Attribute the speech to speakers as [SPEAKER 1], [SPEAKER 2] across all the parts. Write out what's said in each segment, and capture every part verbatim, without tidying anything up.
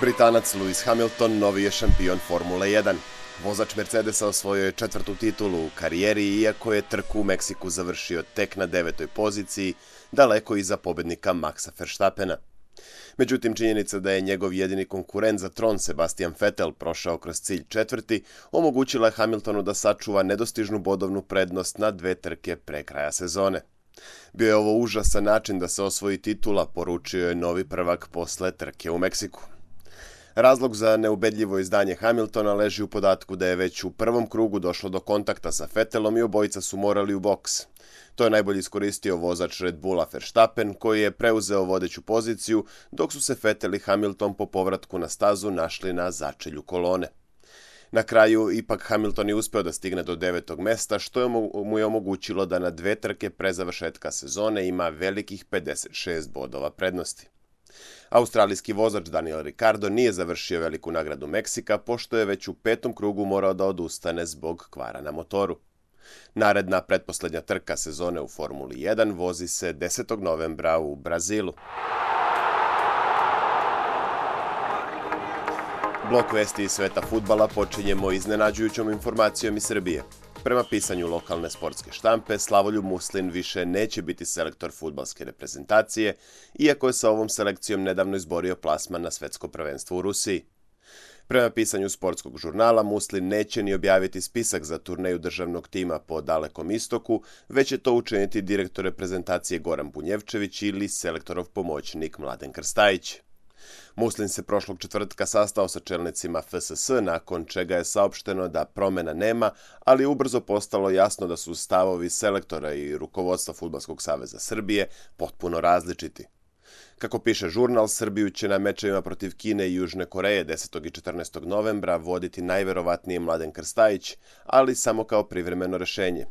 [SPEAKER 1] Britanac Lewis Hamilton novi je šampion Formule jedan. Vozač Mercedesa osvojio je četvrtu titulu u karijeri, iako je trku u Meksiku završio tek na devetoj poziciji, daleko iza pobednika Maxa Verstappena. Međutim, činjenica da je njegov jedini konkurent za tron Sebastian Vettel prošao kroz cilj četvrti, omogućila je Hamiltonu da sačuva nedostižnu bodovnu prednost na dve trke pre kraja sezone. Bio je ovo užasan način da se osvoji titula, poručio je novi prvak posle trke u Meksiku. Razlog za neubedljivo izdanje Hamiltona leži u podatku da je već u prvom krugu došlo do kontakta sa Vettelom i obojica su morali u boks. To je najbolje iskoristio vozač Red Bulla Verstappen, koji je preuzeo vodeću poziciju, dok su se Vettel i Hamilton po povratku na stazu našli na začelju kolone. Na kraju, ipak Hamilton je uspeo da stigne do devetog mesta, što je mu je omogućilo da na dve trke pre završetka sezone ima velikih pedeset šest bodova prednosti. Australijski vozač Daniel Ricciardo nije završio veliku nagradu Meksika, pošto je već u petom krugu morao da odustane zbog kvara na motoru. Naredna pretposlednja trka sezone u Formuli jedan vozi se desetog novembra u Brazilu. Blok vesti iz sveta fudbala počinjemo iznenađujućom informacijom iz Srbije. Prema pisanju lokalne sportske štampe, Slavoljub Muslin više neće biti selektor fudbalske reprezentacije, iako je sa ovom selekcijom nedavno izborio plasman na svetsko prvenstvo u Rusiji. Prema pisanju sportskog žurnala, Muslin neće ni objaviti spisak za turneju državnog tima po Dalekom istoku, već će to učiniti direktor reprezentacije Goran Bunjevčević ili selektorov pomoćnik Mladen Krstajić. Muslin se prošlog četvrtka sastao sa čelnicima F S S, nakon čega je saopšteno da promena nema, ali je ubrzo postalo jasno da su stavovi selektora i rukovodstva Fudbalskog saveza Srbije potpuno različiti. Kako piše žurnal, Srbiju će na mečevima protiv Kine i Južne Koreje desetog i četrnaestog novembra voditi najverovatnije Mladen Krstajić, ali samo kao privremeno rešenje.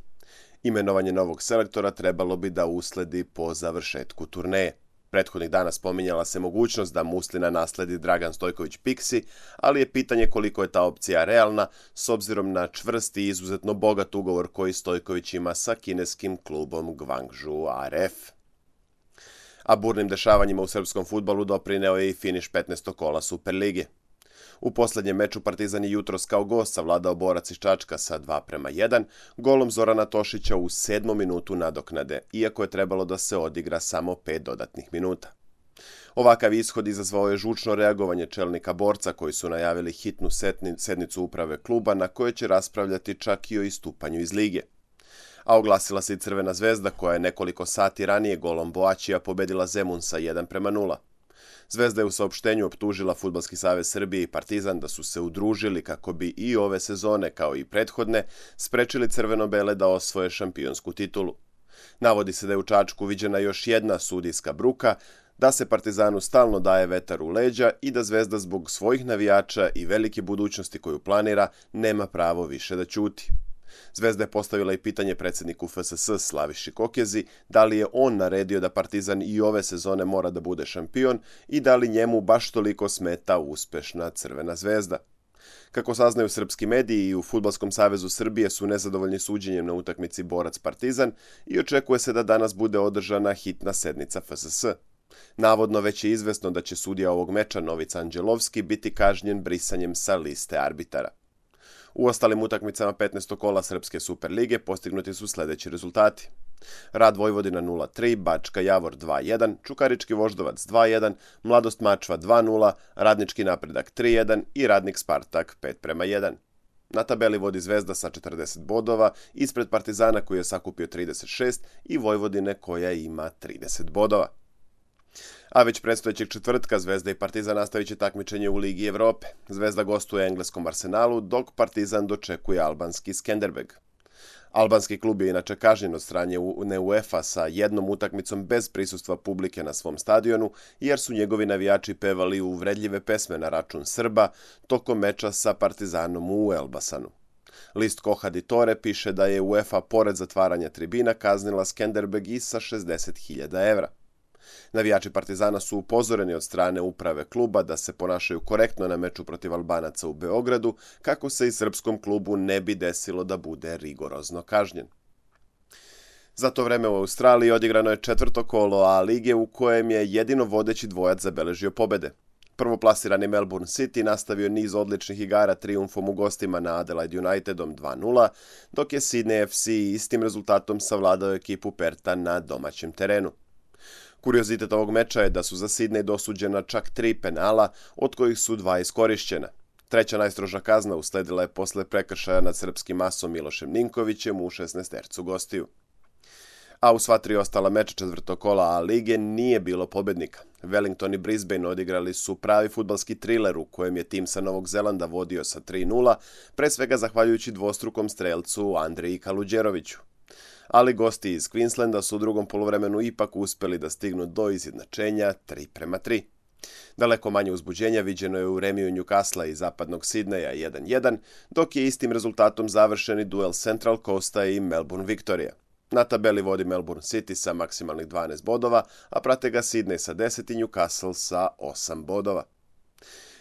[SPEAKER 1] Imenovanje novog selektora trebalo bi da usledi po završetku turneje. Prethodnih dana spominjala se mogućnost da Muslina nasledi Dragan Stojković Piksi, ali je pitanje koliko je ta opcija realna s obzirom na čvrst i izuzetno bogat ugovor koji Stojković ima sa kineskim klubom Guangzhou R F. A burnim dešavanjima u srpskom fudbalu doprineo je i finiš petnaestog kola Superlige. U poslednjem meču Partizan je jutros kao gost savladao Borac iz Čačka sa dva prema jedan, golom Zorana Tošića u sedmom minutu nadoknade, iako je trebalo da se odigra samo pet dodatnih minuta. Ovakav ishod izazvao je žučno reagovanje čelnika Borca, koji su najavili hitnu sednicu uprave kluba na kojoj će raspravljati čak i o istupanju iz lige. A oglasila se i Crvena zvezda, koja je nekoliko sati ranije golom Boačija pobedila Zemun sa jedan prema nula. Zvezda je u saopštenju optužila Fudbalski savez Srbije i Partizan da su se udružili kako bi i ove sezone, kao i prethodne, sprečili crveno-bele da osvoje šampionsku titulu. Navodi se da je u Čačku viđena još jedna sudijska bruka, da se Partizanu stalno daje vetar u leđa i da Zvezda zbog svojih navijača i velike budućnosti koju planira nema pravo više da ćuti. Zvezda je postavila i pitanje predsjedniku F S S Slaviši Kokezi da li je on naredio da Partizan i ove sezone mora da bude šampion i da li njemu baš toliko smeta uspešna Crvena zvezda. Kako saznaju srpski mediji, i u Fudbalskom savezu Srbije su nezadovoljni suđenjem na utakmici Borac-Partizan i očekuje se da danas bude održana hitna sednica F S S. Navodno već je izvesno da će sudija ovog meča Novica Anđelovski biti kažnjen brisanjem sa liste arbitara. U ostalim utakmicama petnaestog kola Srpske Superlige postignuti su sledeći rezultati. Rad Vojvodina nula tri, Bačka Javor dva jedan, Čukarički Voždovac dva jedan, Mladost Mačva dva nula, Radnički Napredak tri jedan i Radnik Spartak pet prema jedan. Na tabeli vodi Zvezda sa četrdeset bodova, ispred Partizana koji je sakupio trideset šest i Vojvodine koja ima trideset bodova. A već predstojećeg četvrtka Zvezda i Partizan nastavit će takmičenje u Ligi Evrope. Zvezda gostuje engleskom Arsenalu, dok Partizan dočekuje albanski Skenderbeg. Albanski klub je inače kažnjen od strane UEFA sa jednom utakmicom bez prisustva publike na svom stadionu, jer su njegovi navijači pevali uvredljive pesme na račun Srba tokom meča sa Partizanom u Elbasanu. List Koha di Tore piše da je UEFA pored zatvaranja tribina kaznila Skenderbeg i sa šezdeset hiljada evra. Navijači Partizana su upozoreni od strane uprave kluba da se ponašaju korektno na meču protiv Albanaca u Beogradu, kako se i srpskom klubu ne bi desilo da bude rigorozno kažnjen. Za to vreme u Australiji odigrano je četvrto kolo A lige u kojem je jedino vodeći dvojac zabeležio pobede. Prvoplasirani Melbourne City nastavio niz odličnih igara trijumfom u gostima na Adelaide Unitedom dva nula, dok je Sydney F C istim rezultatom savladao ekipu Perta na domaćem terenu. Kuriozitet ovog meča je da su za Sydney dosuđena čak tri penala, od kojih su dva iskorišćena. Treća najstroža kazna usledila je posle prekršaja nad srpskim asom Milošem Ninkovićem u šesnaestercu gostiju. A u sva tri ostala meča četvrtog kola A lige nije bilo pobednika. Wellington i Brisbane odigrali su pravi fudbalski triler u kojem je tim sa Novog Zelanda vodio sa tri nula, pre svega zahvaljujući dvostrukom strelcu Andreji Kaluđeroviću. Ali gosti iz Queenslanda su u drugom poluvremenu ipak uspeli da stignu do izjednačenja tri prema tri. Daleko manje uzbuđenja viđeno je u remiju Newcastle i zapadnog Sidneja jedan jedan, dok je istim rezultatom završeni duel Central Coasta i Melbourne Victoria. Na tabeli vodi Melbourne City sa maksimalnih dvanaest bodova, a prate ga Sydney sa deset i Newcastle sa osam bodova.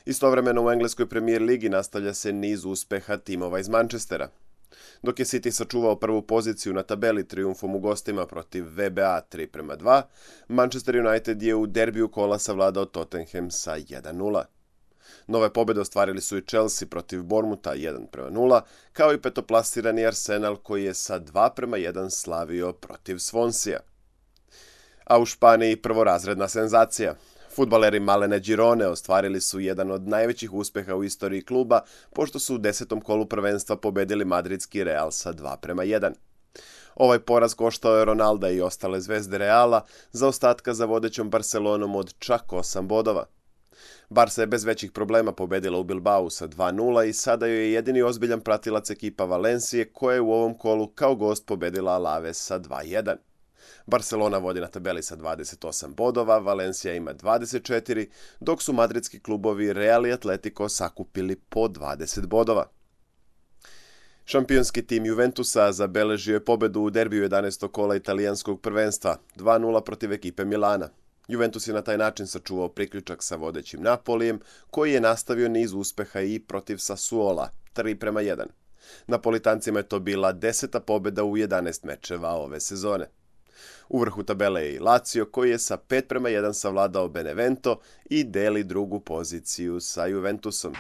[SPEAKER 1] Istovremeno u engleskoj Premier ligi nastavlja se niz uspeha timova iz Manchestera. Dok je City sačuvao prvu poziciju na tabeli trijumfom u gostima protiv V B A tri prema dva, Manchester United je u derbiju kola savladao Tottenham sa jedan nula. Nove pobjede ostvarili su i Chelsea protiv Bournemoutha jedan prema nula, kao i petoplasirani Arsenal koji je sa dva prema jedan slavio protiv Swansea. A u Španiji prvorazredna senzacija. Fudbaleri Malene Girone ostvarili su jedan od najvećih uspeha u istoriji kluba, pošto su u desetom kolu prvenstva pobedili madridski Real sa dva prema jedan. Ovaj poraz koštao je Ronalda i ostale zvezde Reala, zaostatka za vodećom Barcelonom od čak osam bodova. Barca je bez većih problema pobedila u Bilbao sa dva nula i sada joj je jedini ozbiljan pratilac ekipa Valencije koja je u ovom kolu kao gost pobedila Alaves sa dva jedan. Barcelona vodi na tabeli sa dvadeset osam bodova, Valencija ima dvadeset četiri, dok su madridski klubovi Real i Atletico sakupili po dvadeset bodova. Šampionski tim Juventusa zabeležio je pobedu u derbiju jedanaestog kola italijanskog prvenstva dva nula protiv ekipe Milana. Juventus je na taj način sačuvao priključak sa vodećim Napolijem, koji je nastavio niz uspeha i protiv Sassuola tri prema jedan. Napolitancima je to bila deseta pobeda u jedanaest mečeva ove sezone. U vrhu tabele je i Lazio koji je sa pet prema jedan savladao Benevento i deli drugu poziciju sa Juventusom.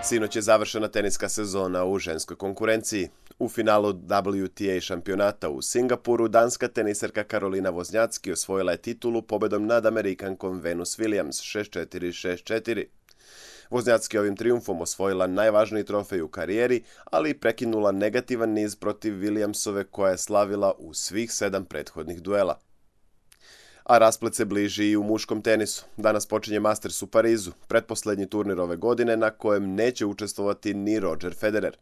[SPEAKER 1] Sinoć je završena teniska sezona u ženskoj konkurenciji. U finalu W T A šampionata u Singapuru danska teniserka Karolina Wozniacki osvojila je titulu pobedom nad Amerikankom Venus Williams šest četiri šest četiri. Wozniacki ovim trijumfom osvojila najvažniji trofej u karijeri, ali i prekinula negativan niz protiv Williamsove koja je slavila u svih sedam prethodnih duela. A rasplet se bliži i u muškom tenisu. Danas počinje Masters u Parizu, pretposlednji turnir ove godine na kojem neće učestvovati ni Roger Federer.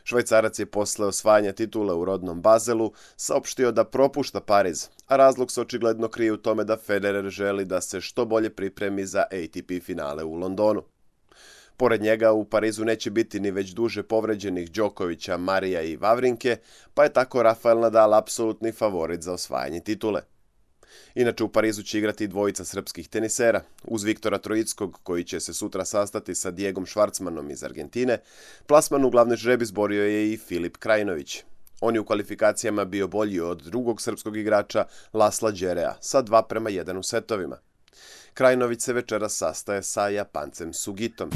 [SPEAKER 1] Švajcarac je posle osvajanja titule u rodnom Bazelu saopštio da propušta Pariz, a razlog se očigledno krije u tome da Federer želi da se što bolje pripremi za A T P finale u Londonu. Pored njega u Parizu neće biti ni već duže povređenih Đokovića, Marija i Vavrinke, pa je tako Rafael Nadal apsolutni favorit za osvajanje titule. Inače u Parizu će igrati dvojica srpskih tenisera, uz Viktora Trojickog koji će se sutra sastati sa Diegom Švarcmanom iz Argentine, plasman u glavni žreb izborio je i Filip Krajinović. On je u kvalifikacijama bio bolji od drugog srpskog igrača Lasla Đerea sa dva prema jedan u setovima. Krajinović se večeras sastaje sa Japancem Sugitom.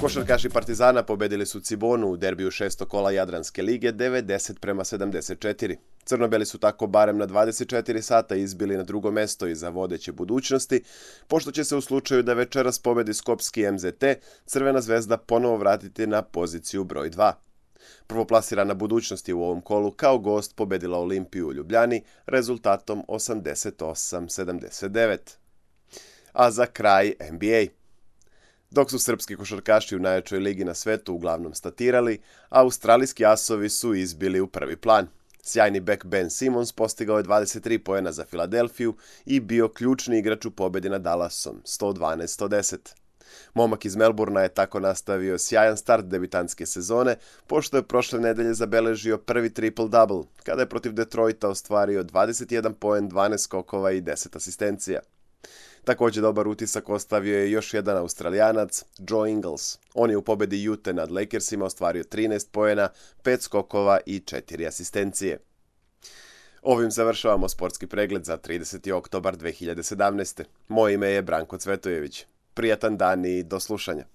[SPEAKER 1] Košarkaši Partizana pobedili su Cibonu u derbiju šestog kola Jadranske lige devedeset prema sedamdeset četiri. Crnobeli su tako barem na dvadeset četiri sata izbili na drugo mesto iza vodeće Budućnosti, pošto će se u slučaju da večeras pobedi Skopski M Z T, Crvena zvezda ponovo vratiti na poziciju broj dva. Prvoplasirana Budućnost je u ovom kolu kao gost pobedila Olimpiju u Ljubljani rezultatom osamdeset osam sedamdeset devet. A za kraj N B A. Dok su srpski košarkaši u najjačoj ligi na svetu uglavnom statirali, australijski asovi su izbili u prvi plan. Sjajni bek Ben Simmons postigao je dvadeset tri poena za Filadelfiju i bio ključni igrač u pobedi nad Dallasom sto dvanaest sto deset. Momak iz Melbournea je tako nastavio sjajan start debitanske sezone, pošto je prošle nedelje zabeležio prvi triple-double, kada je protiv Detroita ostvario dvadeset jedan poen, dvanaest skokova i deset asistencija. Također dobar utisak ostavio je još jedan Australijanac, Joe Ingles. On je u pobedi Ute nad Lakersima ostvario trinaest poena, pet skokova i četiri asistencije. Ovim završavamo sportski pregled za trideseti oktobar dve hiljade sedamnaeste. Moje ime je Branko Cvetojević. Prijatan dan i do slušanja.